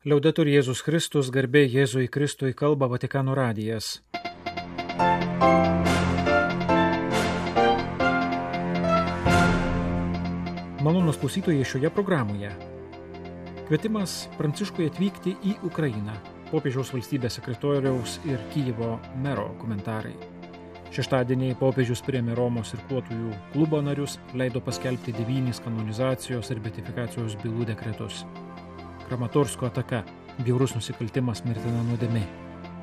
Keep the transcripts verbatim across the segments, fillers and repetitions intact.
Liaudetur Jėzus Kristus, garbė Jėzui Kristui, kalba Vatikano radijas. Malonūs klausytojai šioje programoje. Kvietimas Pranciškui atvykti į Ukrainą. Popiežiaus valstybės sekretoriaus ir Kijevo mero komentarai. Šeštadienį popiežius priėmė Romos irkluotojų klubo narius, leido paskelbti devynis kanonizacijos ir beatifikacijos bylų dekretus. Kramatorsko ataka, bjaurus nusikaltimas, mirtina nuodėmė.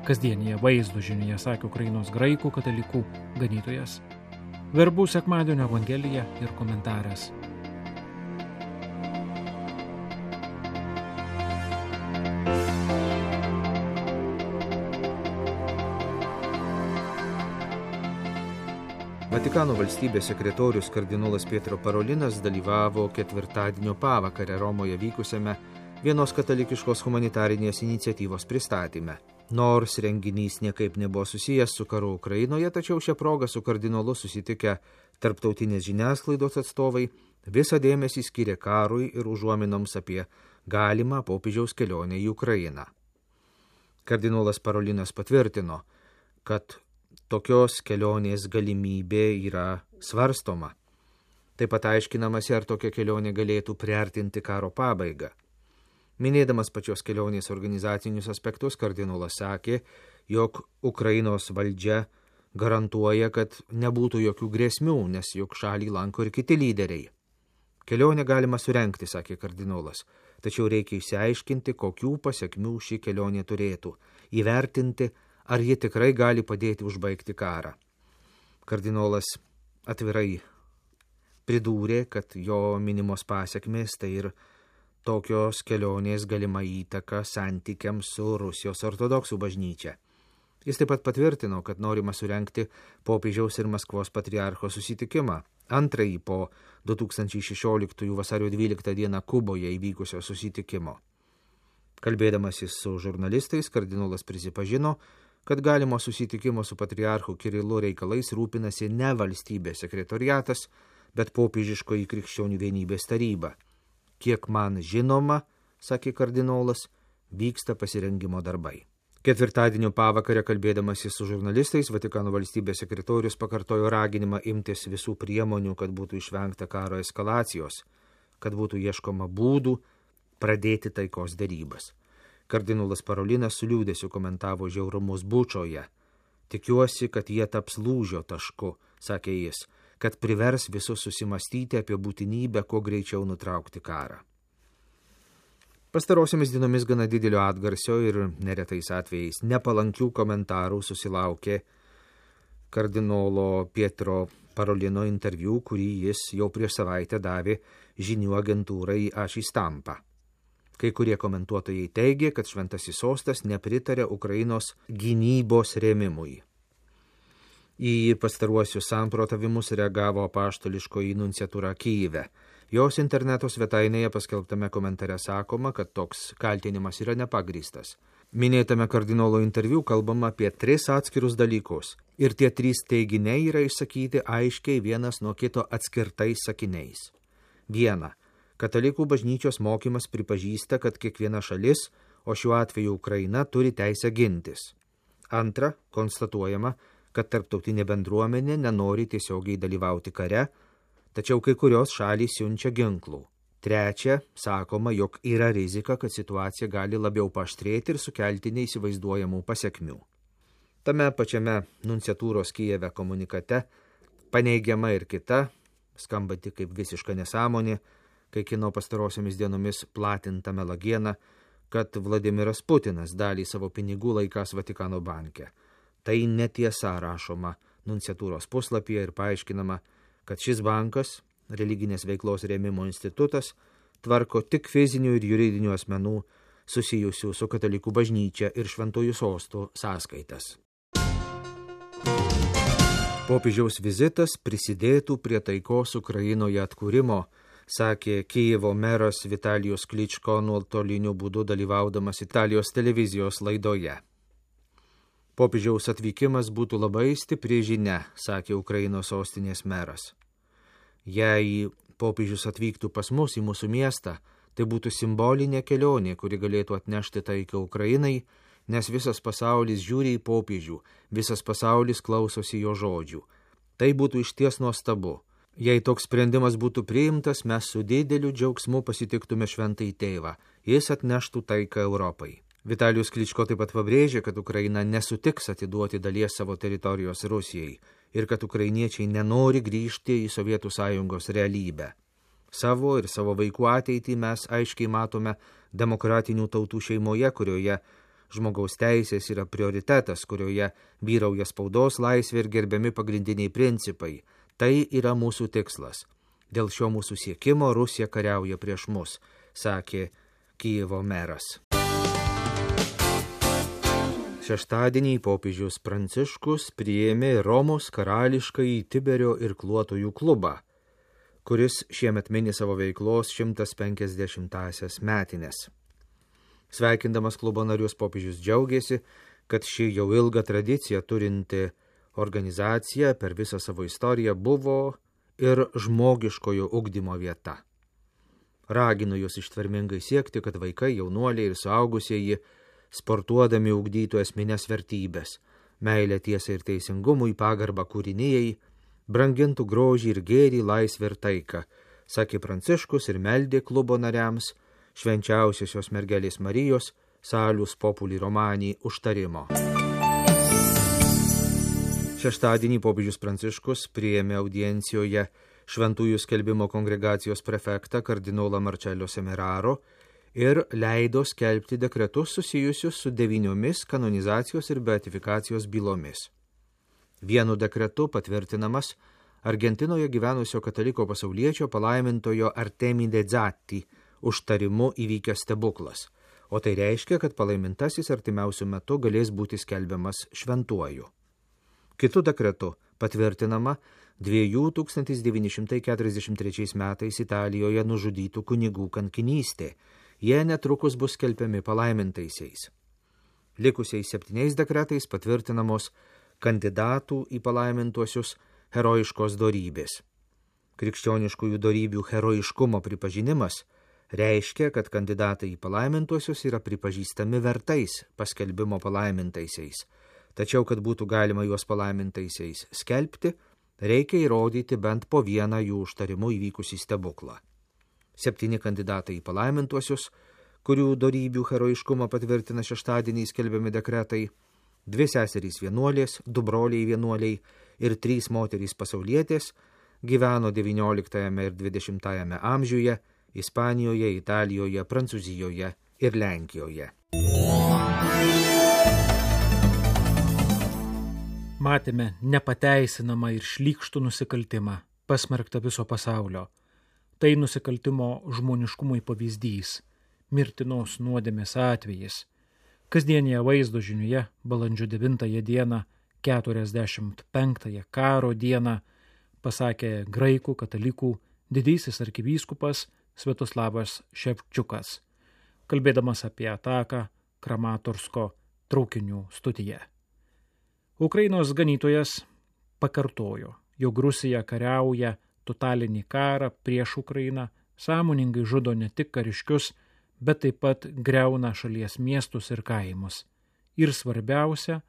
Kasdienėje vaizdo žinioje sakė Ukrainos graikų katalikų ganytojas. Verbų sekmadienio evangelija ir komentaras. Vatikano valstybės sekretorius kardinolas Pietro Parolinas dalyvavo ketvirtadienio pavakarę Romoje vykusiame vienos katalikiškos humanitarinės iniciatyvos pristatyme. Nors renginys niekaip nebuvo susijęs su karu Ukrainoje, tačiau šią progą su kardinolu susitikę tarptautinės žiniasklaidos atstovai visą dėmesį skyrė karui ir užuominoms apie galimą popiežiaus kelionę į Ukrainą. Kardinolas Parolinas patvirtino, kad tokios kelionės galimybė yra svarstoma. Taip pat aiškinamasi, ar tokia kelionė galėtų priartinti karo pabaigą. Minėdamas pačios kelionės organizacinius aspektus, kardinolas sakė, jog Ukrainos valdžia garantuoja, kad nebūtų jokių grėsmių, nes juk šalį lanko ir kiti lyderiai. Kelionę galima surengti, sakė kardinolas, tačiau reikia išsiaiškinti, kokių pasekmių ši kelionė turėtų, įvertinti, ar ji tikrai gali padėti užbaigti karą. Kardinolas atvirai pridūrė, kad jo minimos pasekmės tai ir tokios kelionės galima įtaka santykiams su Rusijos ortodoksų bažnyčia. Jis taip pat patvirtino, kad norima surengti popiežiaus ir Maskvos patriarcho susitikimą, antrąjį po du tūkstančiai šešioliktųjų vasario dvyliktą dieną Kuboje įvykusio susitikimo. Kalbėdamasis su žurnalistais, kardinolas prisipažino, kad galimo susitikimo su patriarchu Kirilu reikalais rūpinasi ne valstybės sekretoriatas, bet popiežiškoji krikščionių vienybės taryba. Kiek man žinoma, sakė kardinolas, vyksta pasirengimo darbai. Ketvirtadienio pavakarę kalbėdamasis su žurnalistais, Vatikano valstybės sekretorius pakartojo raginimą imtis visų priemonių, kad būtų išvengta karo eskalacijos, kad būtų ieškoma būdų pradėti taikos derybas. Kardinolas Parolinas su liūdesiu komentavo žiaurumus Bučoje. Tikiuosi, kad jie taps lūžio tašku, sakė jis, kad privers visus susimastyti apie būtinybę kuo greičiau nutraukti karą. Pastarosiomis dienomis gana didelio atgarsio ir neretais atvejais nepalankių komentarų susilaukė kardinolo Pietro Parolino interviu, kurį jis jau prieš savaitę davė žinių agentūrai Aši Stampa. Kai kurie komentuotojai teigė, kad šventasis sostas nepritarė Ukrainos gynybos rėmimui. Į pastaruosius samprotavimus reagavo apaštališkoji nunciatūra Kijeve. Jos interneto svetainėje paskelbtame komentare sakoma, kad toks kaltinimas yra nepagrįstas. Minėtame kardinolo interviu kalbama apie tris atskirus dalykus. Ir tie trys teiginiai yra išsakyti aiškiai vienas nuo kito atskirtais sakiniais. Viena. Katalikų bažnyčios mokymas pripažįsta, kad kiekviena šalis, o šiuo atveju Ukraina, turi teisę gintis. Antra, konstatuojama, kad tarptautinė bendruomenė nenori tiesiogiai dalyvauti kare, tačiau kai kurios šalys siunčia ginklų. Trečia, sakoma, jog yra rizika, kad situacija gali labiau paaštrėti ir sukelti neįsivaizduojamų pasekmių. Tame pačiame nunciatūros Kijeve komunikate paneigiama ir kita, skambanti kaip visiška nesąmonė, kai kino pastarosiomis dienomis platinta melagiena, kad Vladimiras Putinas dalį savo pinigų laikas Vatikano banke. Tai netiesa, rašoma nunciatūros puslapyje ir paaiškinama, kad šis bankas, religinės veiklos rėmimo institutas, tvarko tik fizinių ir juridinių asmenų susijusių su katalikų bažnyčia ir šventųjų sostų sąskaitas. Popiežiaus vizitas prisidėtų prie taikos Ukrainoje atkūrimo, sakė Kijevo meras Vitalijus Kličko nuotoliniu būdu dalyvaudamas Italijos televizijos laidoje. Popiežiaus atvykimas būtų labai stipri žinia, sakė Ukrainos sostinės meras. Jei popiežius atvyktų pas mus į mūsų miestą, Tai būtų simbolinė kelionė, kuri galėtų atnešti taiką Ukrainai, nes visas pasaulis žiūri į popiežių, visas pasaulis klausosi jo žodžių. Tai būtų išties nuostabu. Jei toks sprendimas būtų priimtas, mes su dideliu džiaugsmu pasitiktume šventąjį tėvą. Jis atneštų taiką Europai. Vitalijus Kličko taip pat pabrėžė, kad Ukraina nesutiks atiduoti dalies savo teritorijos Rusijai ir kad ukrainiečiai nenori grįžti į Sovietų sąjungos realybę. Savo ir savo vaikų ateitį mes aiškiai matome demokratinių tautų šeimoje, kurioje žmogaus teisės yra prioritetas, kurioje vyrauja spaudos laisvė ir gerbiami pagrindiniai principai. Tai yra mūsų tikslas. Dėl šio mūsų siekimo Rusija kariauja prieš mus, sakė Kijevo meras. Šeštadienį popiežius Pranciškus priėmė Romos karališkąjį Tiberio irkluotojų klubą, kuris šiemet mini savo veiklos šimtas penkiasdešimtąsias metines. Sveikindamas klubo narius popiežius džiaugėsi, kad ši jau ilgą tradiciją turinti organizacija per visą savo istoriją buvo ir žmogiškojo ugdymo vieta. Ragino jūs ištvermingai siekti, kad vaikai, jaunuoliai ir suaugusieji sportuodami ugdytų esminės vertybės, meilę tiesai ir teisingumui, pagarbą kūrinijai, brangintų grožį ir gėrį, laisvę ir taiką, sakė Pranciškus ir meldė klubo nariams švenčiausiosios mergelės Marijos Salus Populi Romani užtarimo. Šeštadienį popiežius Pranciškus priėmė audiencijoje Šventųjų skelbimo kongregacijos prefektą kardinolą Marcello Semeraro ir leido skelbti dekretus susijusius su devyniomis kanonizacijos ir beatifikacijos bylomis. Vienu dekretu patvirtinamas Argentinoje gyvenusio kataliko pasauliečio palaimintojo Artemide Zatti užtarimu įvykęs stebuklas, o tai reiškia, kad palaimintasis artimiausiu metu galės būti skelbiamas šventuoju. Kitu dekretu patvirtinama tūkstantis devyni šimtai keturiasdešimt trečiais metais Italijoje nužudytų kunigų kankinystė. Jie netrukus bus skelbiami palaimintaisiais. Likusiais septyniais dekretais patvirtinamos kandidatų į palaimintuosius herojiškos dorybės. Krikščioniškųjų dorybių herojiškumo pripažinimas reiškia, kad kandidatai į palaimintuosius yra pripažįstami vertais paskelbimo palaimintaisiais. Tačiau, kad būtų galima juos palaimintaisiais skelbti, reikia įrodyti bent po vieną jų užtarimu įvykusį stebuklą. Septyni kandidatai į palaimintuosius, kurių dorybių herojiškumą patvirtina šeštadienį skelbiami dekretai, dvi seserys vienuolės, du broliai vienuoliai ir trys moterys pasaulietės, gyveno devynioliktajame ir dvidešimtajame amžiuje Ispanijoje, Italijoje, Prancūzijoje ir Lenkijoje. Matėme nepateisinamą ir šlykštų nusikaltimą, pasmerktą viso pasaulio. Tai nusikaltimo žmoniškumui pavyzdys, mirtinos nuodėmės atvejis. Kasdienėje vaizdo žiniuje balandžio devintąją dieną, keturiasdešimt penktąją karo dieną, pasakė graikų katalikų didysis arkivyskupas Sviatoslavas Ševčiukas, kalbėdamas apie ataką Kramatorsko traukinių stotyje. Ukrainos ganytojas pakartojo, jog Rusija kariauja totalinį karą prieš Ukrainą, sąmoningai žudo ne tik kariškius, bet taip pat griauna šalies miestus ir kaimus. Ir svarbiausia,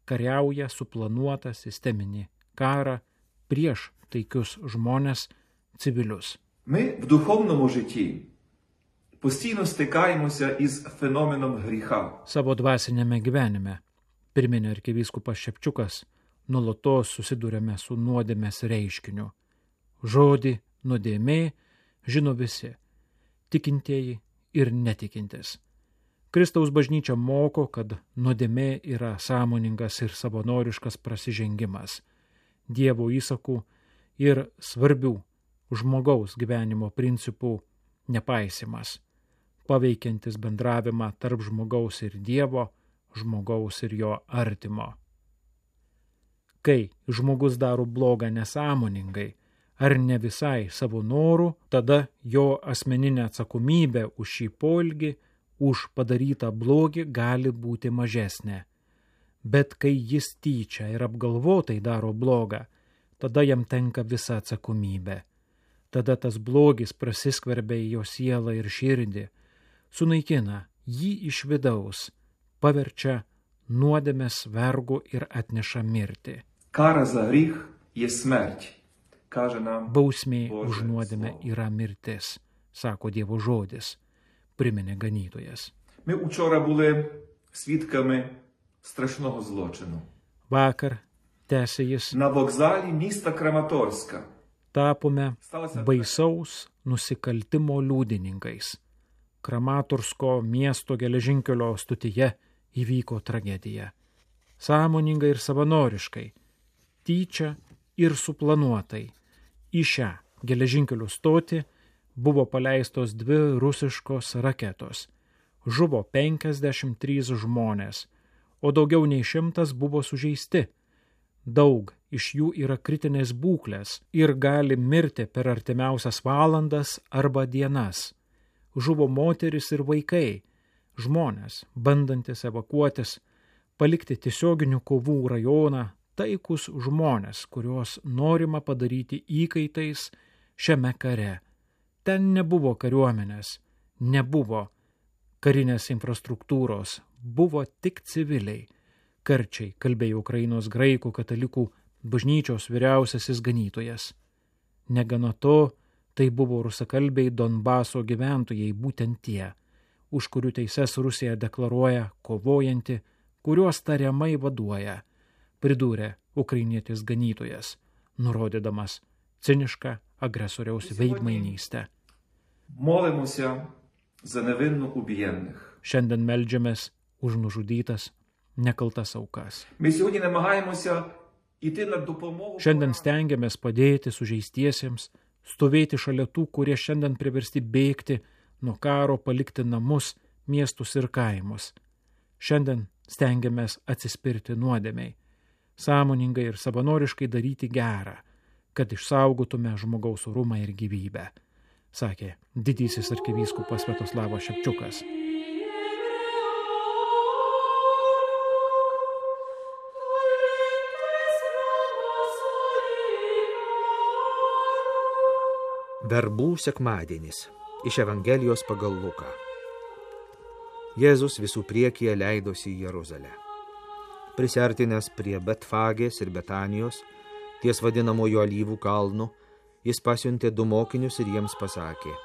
kariauja suplanuotą sisteminį karą prieš taikius žmonės, civilius. Ми в духовному житті постійно стикаємося із феноменом гріха. Savo dvasinėme gyvenime, priminė arkivyskupas Ševčiukas, nuolatos susidurėme su nuodėmės reiškiniu. Žodį nuodėmė žino visi, tikintieji ir netikintis. Kristaus bažnyčia moko, kad nuodėmė yra sąmoningas ir savanoriškas prasižengimas, Dievo įsakų ir svarbių žmogaus gyvenimo principų nepaisimas, paveikiantis bendravimą tarp žmogaus ir Dievo, žmogaus ir jo artimo. Kai žmogus daro blogą nesąmoningai ar ne visai savo norų, tada jo asmeninė atsakomybė už šį poelgį, už padarytą blogį gali būti mažesnė. Bet kai jis tyčia ir apgalvotai daro blogą, tada jam tenka visa atsakomybė. Tada tas blogis prasiskverbia į jo sielą ir širdį, sunaikina jį iš vidaus, paverčia nuodėmės vergu ir atneša mirtį. Кара за гріх є смерть, каже нам Bausmė Боже už nuodėmę Слово. yra mirtis, sako Dievo žodis, priminė ganytojas. Ми учора були свідками страшного злочину. Vakar, tęsė jis, На вокзалі міста Краматорська tapome сталося baisaus nusikaltimo liudininkais. Kramatorsko miesto geležinkelio stotyje įvyko tragedija. Sąmoningai ir savanoriškai, tyčia ir suplanuotai, į šią geležinkelio stotį buvo paleistos dvi rusiškos raketos. Žuvo penkiasdešimt trys žmonės, o daugiau nei šimtas buvo sužeisti. Daug iš jų yra kritinės būklės ir gali mirti per artimiausias valandas arba dienas. Žuvo moteris ir vaikai, žmonės, bandantis evakuotis, palikti tiesioginių kovų rajoną, taikus žmonės, kuriuos norima padaryti įkaitais šiame kare. Ten nebuvo kariuomenės, nebuvo karinės infrastruktūros, buvo tik civiliai. Karčiai kalbėjo Ukrainos graikų katalikų bažnyčios vyriausiasis ganytojas. Negana to, tai buvo rusakalbiai Donbaso gyventojai, būtent tie, už kurių teises Rusija deklaruoja kovojanti, kuriuos tariamai vaduoja, pridūrė ukrainietis ganytojas, nurodydamas cinišką agresoriaus veidmainystę. молимося за невинно убієнних. Šiandien meldžiamės už nužudytas, nekaltas aukas. Ми сьогодні намагаємося йти на допомогу. Šiandien stengiamės padėti sužeistiesiems, stovėti šalia tų, kurie šiandien priversti bėgti nuo karo, palikti namus, miestus ir kaimus. Šiandien stengiamės atsispirti nuodėmiai, sąmoningai ir savanoriškai daryti gerą, kad išsaugotume žmogaus orumą ir gyvybę, sakė didysis arkivyskupas Sviatoslavas Šepčiukas. Verbų sekmadienis iš Evangelijos pagal Luką. Jėzus visų priekyje leidosi į Jeruzalę. Prisiartinęs prie Betfagės ir Betanijos, ties vadinamojo Alyvų kalnu, jis pasiuntė du mokinius ir jiems pasakė: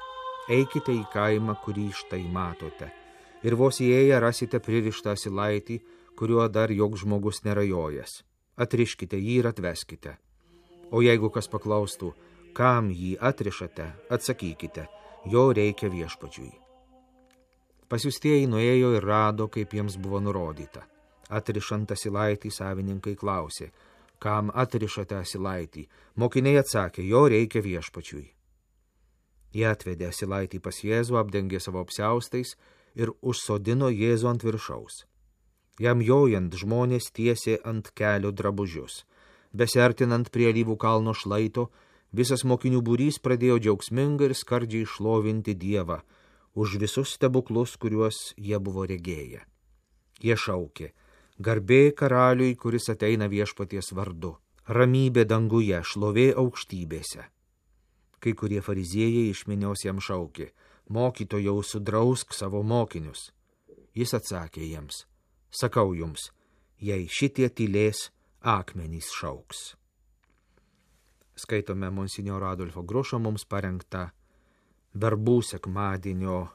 eikite į kaimą, kurį štai matote, ir vos įėję rasite pririštą asilaitį, kuriuo dar joks žmogus nerajojęs. Atriškite jį ir atveskite. O jeigu kas paklaustų, kam jį atrišate, atsakykite, jo reikia viešpačiui. Pasiųstieji nuėjo ir rado, kaip jiems buvo nurodyta. Atrišant asilaitį savininkai klausė: kam atrišate asilaitį? Mokiniai atsakė: jo reikia viešpačiui. Jie atvedė asilaitį pas Jėzų, apdengė savo apsiaustais ir užsodino Jėzų ant viršaus. Jam jojant žmonės tiesė ant kelio drabužius. Besiartinant prie Alyvų kalno šlaito, visas mokinių būrys pradėjo džiaugsmingai ir skardžiai šlovinti Dievą už visus stebuklus, kuriuos jie buvo regėję. Jie šaukė: garbė karaliui, kuris ateina viešpaties vardu, ramybė danguje, šlovė aukštybėse. Kai kurie fariziejai iš minios jam šaukė: mokytojau, sudrausk savo mokinius. Jis atsakė jiems: sakau jums, jei šitie tylės, akmenys šauks. Skaitome monsinjoro Adolfo Grušo mums parengtą Verbų sekmadienio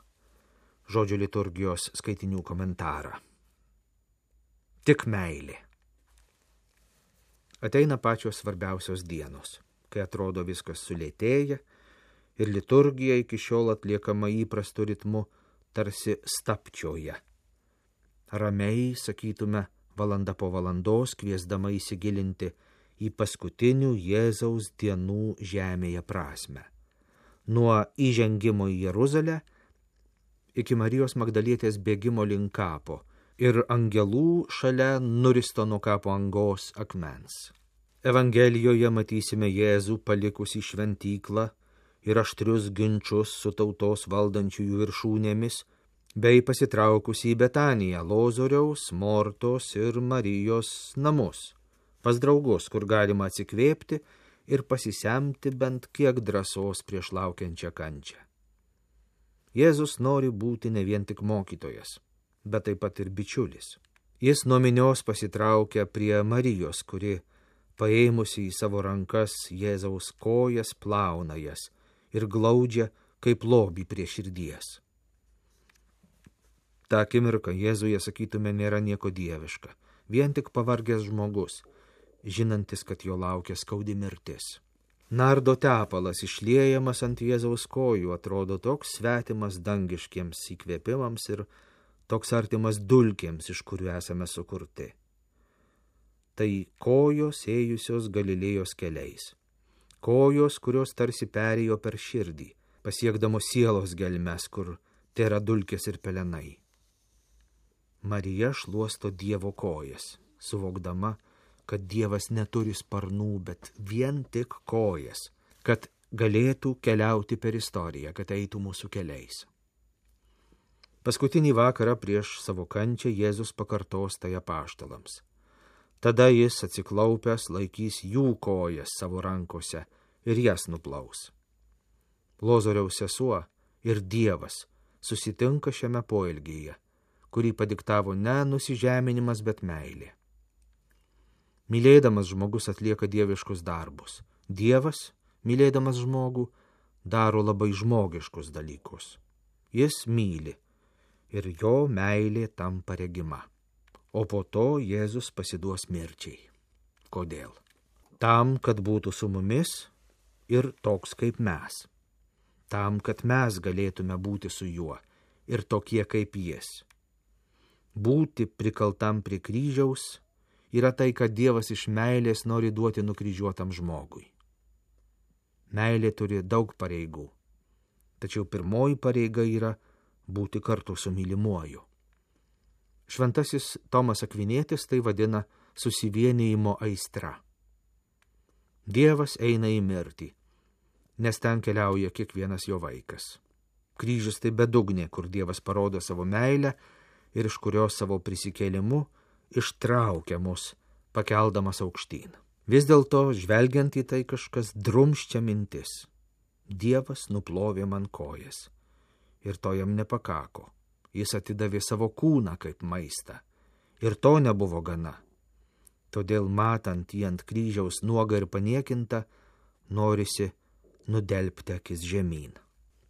žodžio liturgijos skaitinių komentarą. Tik meilė. Ateina pačios svarbiausios dienos, kai atrodo viskas sulėtėja ir liturgija iki šiol atliekama įprastu ritmu tarsi stapčioje. Ramiai, sakytume, valanda po valandos kviesdama įsigilinti į paskutinių Jėzaus dienų žemėje prasmę. Nuo įžengimo į Jeruzalę iki Marijos Magdalietės bėgimo link kapo ir angelų šalia nuristo nuo kapo angos akmens. Evangelijoje matysime Jėzų palikusį šventyklą ir aštrius ginčus su tautos valdančiųjų viršūnėmis, bei pasitraukusį į Betaniją, Lozoriaus, Mortos ir Marijos namus, pas draugus, kur galima atsikvėpti ir pasisemti bent kiek drąsos prieš laukiančią kančią. Jėzus nori būti ne vien tik mokytojas, bet taip pat ir bičiulis. Jis nuo minios pasitraukia prie Marijos, kuri, paėmusi į savo rankas Jėzaus kojas, plauna jas ir glaudžia kaip lobį prie širdies. Ta akimirka Jėzuje, sakytume, nėra nieko dieviška, vien tik pavargęs žmogus, žinantis, kad jo laukia skaudi mirtis. Nardo tepalas išliejamas ant Jėzaus kojų atrodo toks svetimas dangiškiems įkvėpimams ir toks artimas dulkėms, iš kurių esame sukurti. Tai kojos ėjusios Galilėjos keliais. Kojos, kurios tarsi perėjo per širdį, pasiekdamos sielos gelmes, kur tėra dulkės ir pelenai. Marija šluosto Dievo kojas, suvokdama, kad Dievas neturi sparnų, bet vien tik kojas, kad galėtų keliauti per istoriją, kad eitų mūsų keliais. Paskutinį vakarą prieš savo kančią Jėzus pakartos tai apaštalams. Tada jis atsiklaupęs laikys jų kojas savo rankose ir jas nuplaus. Lozoriaus sesuo ir Dievas susitinka šiame poelgyje, kurį padiktavo ne nusižeminimas, bet meilė. Mylėdamas žmogus atlieka dieviškus darbus. Dievas, mylėdamas žmogų, daro labai žmogiškus dalykus. Jis myli ir jo meilė tampa regima. O po to Jėzus pasiduos mirčiai. Kodėl? Tam, kad būtų su mumis ir toks kaip mes. Tam, kad mes galėtume būti su juo ir tokie kaip jis. Būti prikaltam prie kryžiaus yra tai, kad Dievas iš meilės nori duoti nukryžiuotam žmogui. Meilė turi daug pareigų, tačiau pirmoji pareiga yra būti kartu su mylimuoju. Šventasis Tomas Akvinietis tai vadina susivienijimo aistra. Dievas eina į mirtį, nes ten keliauja kiekvienas jo vaikas. Kryžius tai bedugnė, kur Dievas parodo savo meilę ir iš kurios savo prisikėlimu ištraukia mus, pakeldamas aukštyn. Vis dėlto, žvelgiant į tai, kažkas drumščia mintis. Dievas nuplovė man kojas. Ir to jam nepakako. Jis atidavė savo kūną kaip maistą. Ir to nebuvo gana. Todėl, matant jį ant kryžiaus nuogą ir paniekinta, norisi nudelbti akis žemyn.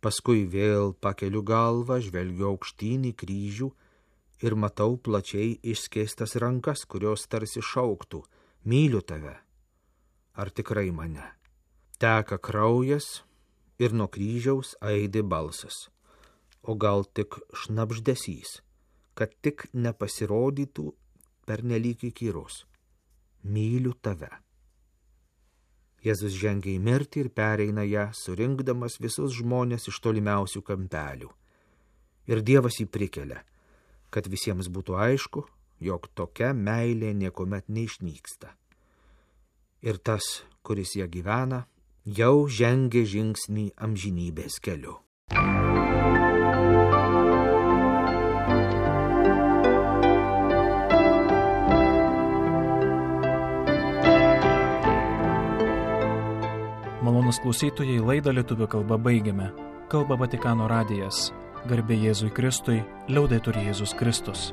Paskui vėl pakeliu galvą, žvelgiu aukštyn į kryžių ir matau plačiai išskėstas rankas, kurios tarsi šauktų: myliu tave. Ar tikrai mane? Teka kraujas ir nuo kryžiaus aidi balsas. O gal tik šnabždesys, kad tik nepasirodytų pernelyg įkyrus. Myliu tave. Jėzus žengia į mirtį ir pereina ją, surinkdamas visus žmonės iš tolimiausių kampelių. Ir Dievas jį prikelia, kad visiems būtų aišku, jog tokia meilė niekuomet neišnyksta. Ir tas, kuris ją gyvena, jau žengia žingsnį amžinybės keliu. Malonūs klausytojai, laidą lietuvių kalba baigiame. Kalba Vatikano radijas. Garbė Jėzui Kristui, liaudetur Jėzus Kristus.